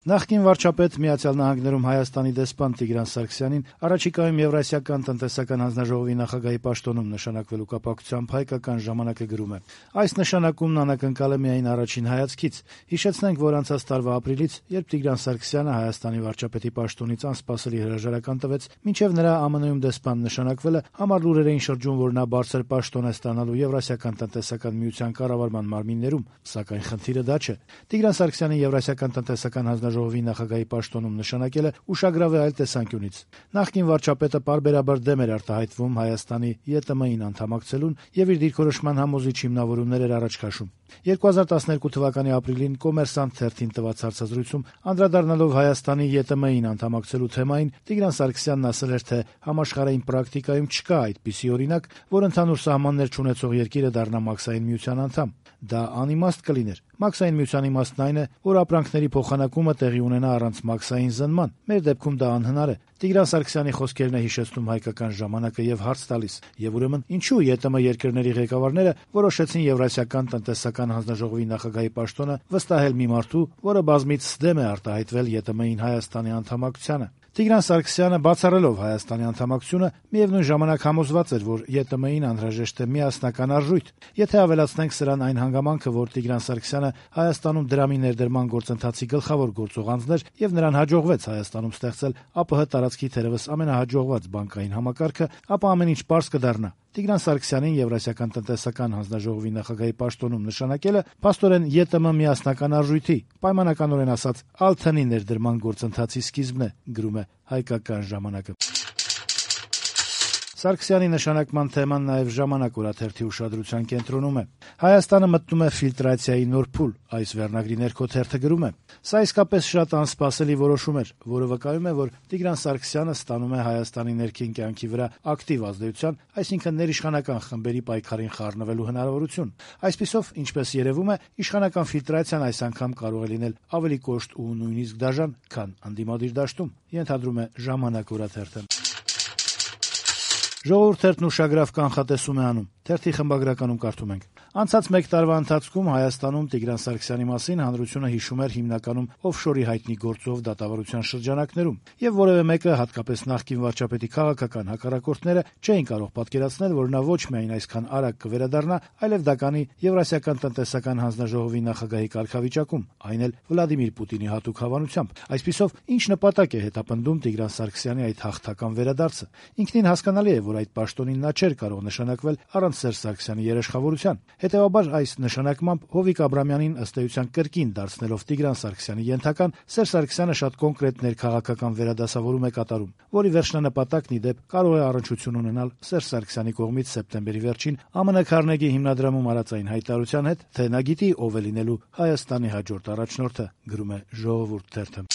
Նախկին վարչապետ Միացյալ Նահանգներում Հայաստանի դեսպան Տիգրան Սարգսյանին առաջիկայում Եվրասիական տնտեսական հանձնաժողովի նախագահի պաշտոնում նշանակվելու կապակցությամբ «Հայկական ժամանակ»-ը գրում է. «Այս նշանակումն անակնկալ է միայն առաջին հայացքից։ Հիշեցնենք, որ անցած տարվա ապրիլից, երբ Տիգրան Սարգսյանը Հայաստանի վարչապետի պաշտոնից անսպասելի հրաժարական տվեց, մինչև նրա ԱՄՆ-ում դեսպան նշանակվելը համառ լուրեր էին շրջում, որ նա բարձր պաշտոն է ստանալու Եվրասիական տնտեսական միության կառավարման մարմիններում, սակայն խնդիրը դա չէ։ Տիգրան Սարգսյանին Եվրասիական տնտեսական հանձնաժողովի նախագահի պաշտոնում նշանակելը ուշագրավ է այլ տեսանկյունից։ Նախկին վարչապետը պարբերաբար դեմ էր արտահայտվում Հայաստանի ԵՏՄ-ին անդամակցելուն եւ իր դիրքորոշման համոզիչ հիմնավորումներ էր առաջ քաշում։ 2012 թվականի ապրիլին «Կոմերսանտ» թերթին տված հարցազրույցում անդրադառնալով Հայաստանի ԵՏՄ-ին անդամակցելու թեմային Տիգրան Սարգսյանն ասել էր, թե համաշխարհային պրակտիկայում չկա այդպիսի օրինակ, որ ընդհանուր սահմաններ չունեցող երկիրը դառնա Մաքսային միության անդամ։ Դա անիմաստ կլիներ։ Մաքսային միության իմաստն այն է, որ ապրանքների փոխանակումը տեղի ունենա առանց մաքսային զննման։ Մեր դեպքում դա անհնար է։ Տիգրան Սարգսյանի խոսքերն է հիշեցնում «Հայկական ժամանակ»-ը եւ հարց տալիս. եւ ուրեմն ինչու ԵՏՄ երկրների ղեկավարները որոշեցին Եվրասիական տնտեսական հանձնաժողովի նախագահի պաշտոնը վստահել մի մարդու, որը բազմիցս դեմ է արտահայտվել ԵՏՄ-ին Հայաստանի անդամակցությանը։ Տիգրան Սարգսյանը բացառելով Հայաստանի անդամակցությունը միևնույն ժամանակ համոզված էր, որ ԵՏՄ-ին անհրաժեշտ է միասնական արժույթ։ Եթե ավելացնենք սրան այն հանգամանքը, որ Տիգրան Սարգսյանը Հայաստանում դրամի ներդրման գործընթացի գլխավոր գործող անձն էր եւ նրան հաջողվեց Հայաստանում ստեղծել ԱՊՀ տարածքի թերևս ամենահաջողված բանկային համակարգը, ապա ամեն ինչ պարզ կդառնա։ Տիգրան Սարգսյանին Եվրասիական տնտեսական հանձնաժողովի նախագահի պաշտոնում նշանակելը փաստորեն ԵՏՄ միասնական արժույթի, պայմանականորեն ասած Ալթանի ներդրման գործընթացի սկիզբն է, գրում է «Հայկական ժամանակ»-ը։ Սարգսյանի նշանակման թեման նաև «Ժամանակ» օրաթերթի ուշադրության կենտրոնում է։ Հայաստանը մտնում է ֆիլտրացիայի նոր փուլ, այս վերնագրի ներքո թերթը գրում է. «Սա իսկապես շատ անսպասելի որոշում էր, որը վկայում է, որ Տիգրան Սարգսյանը ստանում է Հայաստանի ներքին կյանքի վրա ակտիվ ազդեցության, այսինքն ներիշխանական խմբերի պայքարին խառնվելու հնարավորություն։ Այսպիսով, ինչպես երևում է, իշխանական ֆիլտրացիան այս անգամ կարող է լինել ավելի կոշտ ու նույնիսկ դաժան, քան ընդդիմադիր դաշտում», ենթադրում է «Ժամանակ» օրաթերթը։ Ժողովուրդ թերթն ուշագրավ կանխատեսում է անում։ Թերթի խմբագրականում կարդում ենք. «Անցած մեկ տարվա ընթացքում Հայաստանում Տիգրան Սարգսյանի մասին հանրությունը հիշում էր հիմնականում օֆշորի հայտնի գործով դատավարության շրջանակներում, եւ որևէ մեկը, հատկապես նախկին վարչապետի քաղաքական հակառակորդները, չէին կարող պատկերացնել, որ նա ոչ միայն այսքան արագ կվերադառնա, այլև դա կանի Եվրասիական տնտեսական հանձնաժողովի նախագահի կարգավիճակում, այն էլ Վլադիմիր Պուտինի հատուկ հավանությամբ։ Այսպիսով, ինչ նպատակ է հետապնդում Տիգրան Սարգսյանի այդ հաղթական վերադարձը։ Ինքնին հասկանալի է, որ այդ պաշտոնին նա չէր կարող նշանակվել առանց Սերժ Սարգսյանի երաշխավորության։ Հետևաբար այս նշանակմամբ Հովիկ Աբրամյանին ըստ էության կրկին դարձնելով Տիգրան Սարգսյանի ենթական, Սերժ Սարգսյանը շատ կոնկրետ ներքաղաքական վերադասավորում է կատարում, որի վերջնանպատակն ի դեպ կարող է առնչություն ունենալ Սերժ Սարգսյանի կողմից սեպտեմբերի վերջին ԱՄՆ Քարնեգի հիմնադրամում արած այն հայտարարության հետ, թե նա գիտի ով է լինելու Հայաստանի հաջորդ առաջնորդը, գրում է Ժողովուրդ թերթը։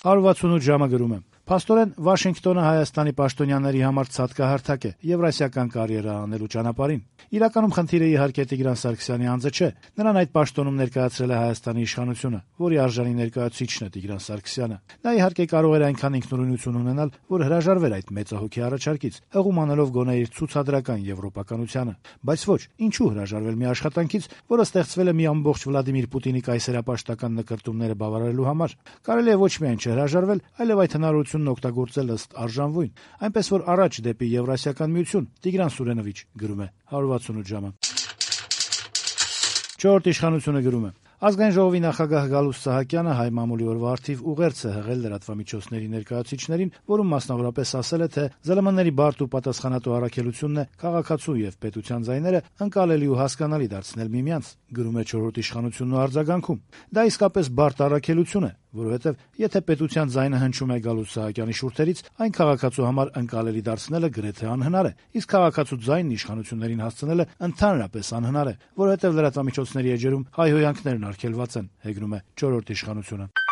168 ժամը գրում է. «Փաստորեն Վաշինգտոնը Հայաստանի պաշտոնյաների համար ցատկահարթակ է Եվրասիական կարիերա անելու ճանապարհին։ Իրականում խնդիրը իհարկե Տիգրան Սարգսյանի անձը չէ։ Նրան այդ պաշտոնում ներկայացրել է Հայաստանի իշխանությունը, որի արժանի ներկայացուցիչն է Տիգրան Սարգսյանը։ Նա իհարկե կարող էր այնքան ինքնուրույնություն ունենալ, որ հրաժարվեր այդ մեծահոգի առաջարկից, հղում անելով գոնե իր ցուցադրական եվրոպականությանը։ Բայց ոչ, ինչու հրաժարվել մի աշխատանքից, որը ստեղծվել է մի ամբողջ Վլադիմիր Պուտինի կայսերապաշտական նկրտումները բավարարելու համար։ Կարելի է ոչ միայն չհրաժարվել, այլև այդ հնարավորությունն օգտագործել ըստ արժանվույն, այնպես որ առաջ դեպի Եվրասիական միություն, Տիգրան Սուրենովիչ», գրում է 168 ժամը։ Չորրորդ իշխանությունը գրում է. «Ազգային ժողովի նախագահ Գալուստ Սահակյանը հայ մամուլի օրվա առթիվ ուղերձ է հղել լրատվամիջոցների ներկայացուցիչներին, որում մասնավորապես ասել է, թե ԶԼՄ-ների բարդ ու պատասխանատու առաքելությունն է քաղաքացու եւ պետության ձայները ընկալելի ու հասկանալի դարձնել միմյանց», գրում է չորրորդ իշխանությունն ու արձագանքում։ Դա իսկապես բարդ առաքելություն է, որովհետեւ եթե պետության ձայնը հնչում է Գալուստ Սահակյանի շուրթերից, այն քաղաքացու համար ընկալելի դարձնելը գրեթե անհնար է, իսկ քաղաքացու ձայնն իշխանություններին հասցնելը ընդհանրապես անհնար է, որովհետեւ լրատվամիջոցների էջերում հայհոյանքներն արգելված են, հեգնում է չորրորդ իշխանությունը։